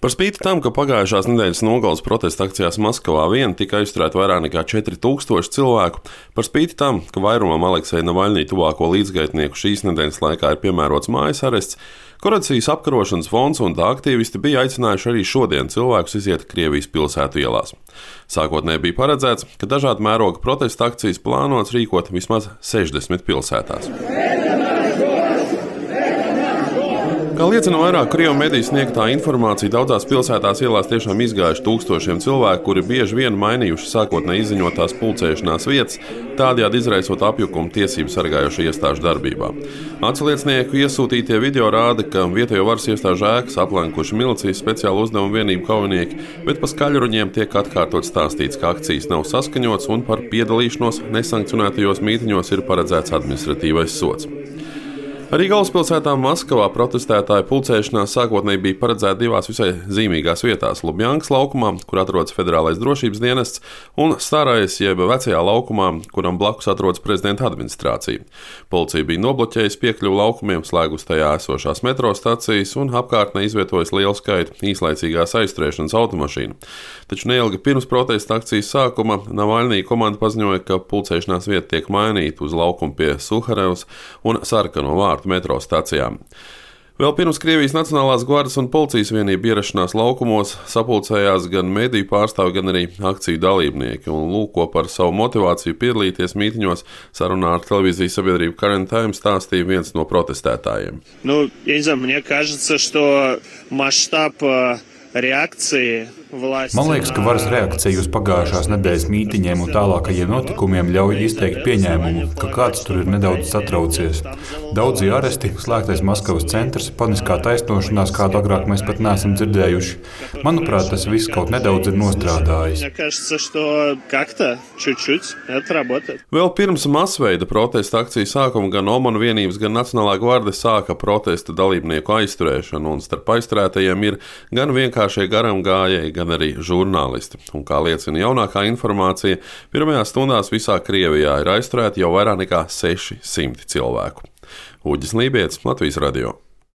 Par spīti tam, ka pagājušās nedēļas nogales protesta akcijās Maskavā vien tika aizturēti vairāk nekā 4000 cilvēku, par spīti tam, ka vairumam Aleksēja Navaļņija tuvāko līdzgaitnieku šīs nedēļas laikā ir piemērots mājas arests, Korupcijas apkarošanas fonds un tā aktīvisti bija aicinājuši arī šodien cilvēkus iziet Krievijas pilsētu ielās. Sākotnēji bija paredzēts, ka dažādu mēroga protesta akcijas plānots rīkot vismaz 60 pilsētās. Kā liecina vairāk Krievu mediju sniegtā informācija, daudzās pilsētās ielās tiešām izgājuši tūkstošiem cilvēku, kuri bieži vien mainījuši sākotnēji izziņotās pulcēšanās vietas, tādējādi izraisot apjukumu tiesību sargājošo iestāžu darbībā. Atsliecinieku iesūtītie video rāda, ka vietējo varas iestāžu ēkas aplenkuši milicijas speciālu uzdevumu vienību kaujinieki, bet pa skaļruņiem tiek atkārtot stāstīts, ka akcijas nav saskaņotas un par piedalīšanos nesankcionētajos mītiņos ir paredzēts administratīvais sods. Arī galvaspilsētā Maskavā protestētāju pulcēšanās sākotnēji bija paredzēta divās visai zīmīgās vietās - Lubjankas laukumā, kur atrodas Federālais drošības dienests, un Starais jeb Vecajā laukumā, kuram blakus atrodas prezidenta administrācija. Policija bija nobloķējusi piekļuvi laukumiem, slēgusi tajā esošās metro stacijas un apkārtnē izvietojusi lielu skaitu īslaicīgās aizturēšanas automašīnu. Taču neilgi pirms protesta akcijas sākuma Navaļņija komanda paziņoja, ka pulcēšanās vieta tiek mainīta uz laukumu pie Suharevas un Sarkano vārtu metro stacijām. Vēl pirms Krievijas Nacionālās gvardes un policijas vienību ierašanās laukumos sapulcējās gan mediju pārstāvi, gan arī akciju dalībnieki. Un lūko par savu motivāciju piedalīties mītiņos sarunā ar televīzijas sabiedrību Current Time stāstīja viens no protestētājiem. Мне кажется, что масштаб реакции Man liekas, ka varas reakcija uz pagājušās nedēļas mītiņiem un tālākajiem notikumiem ļauj izteikt pieņēmumu, ka kāds tur ir nedaudz satraucies. Daudzi aresti, slēgtais Maskavas centrs, paniskā taisnošanās, kādu agrāk mēs pat neesam dzirdējuši. Manuprāt, tas viss kaut nedaudz ir nostrādājis. Vēl pirms masveida protesta akciju sākuma gan OMON vienības, gan Nacionālā gvarde sāka protesta dalībnieku aizturēšanu, un starp aizturētajiem ir gan vienkāršie garām gājēji, gan arī žurnālisti. Un, kā liecina jaunākā informācija, pirmajās stundās visā Krievijā ir aizturēti jau vairāk nekā 600 cilvēku. Uģis Lībietis, Latvijas radio.